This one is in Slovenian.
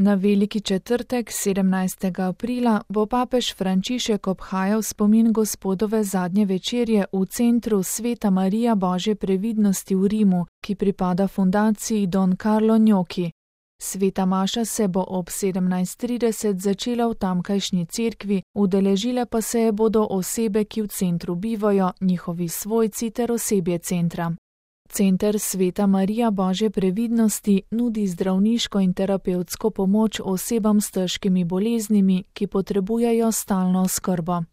Na veliki četrtek, 17. aprila, bo papež Frančišek obhajal spomin Gospodove zadnje večerje v centru Sveta Marija Božje previdnosti v Rimu, ki pripada fundaciji Don Carlo Gnocchi. Sveta maša se bo ob 17:30 začela v tamkajšnji cerkvi, udeležile pa se je bodo osebe, ki v centru bivajo, njihovi svojci ter osebje centra. Center Sveta Marija Božje previdnosti nudi zdravniško in terapevtsko pomoč osebam s težkimi boleznimi, ki potrebujejo stalno oskrbo.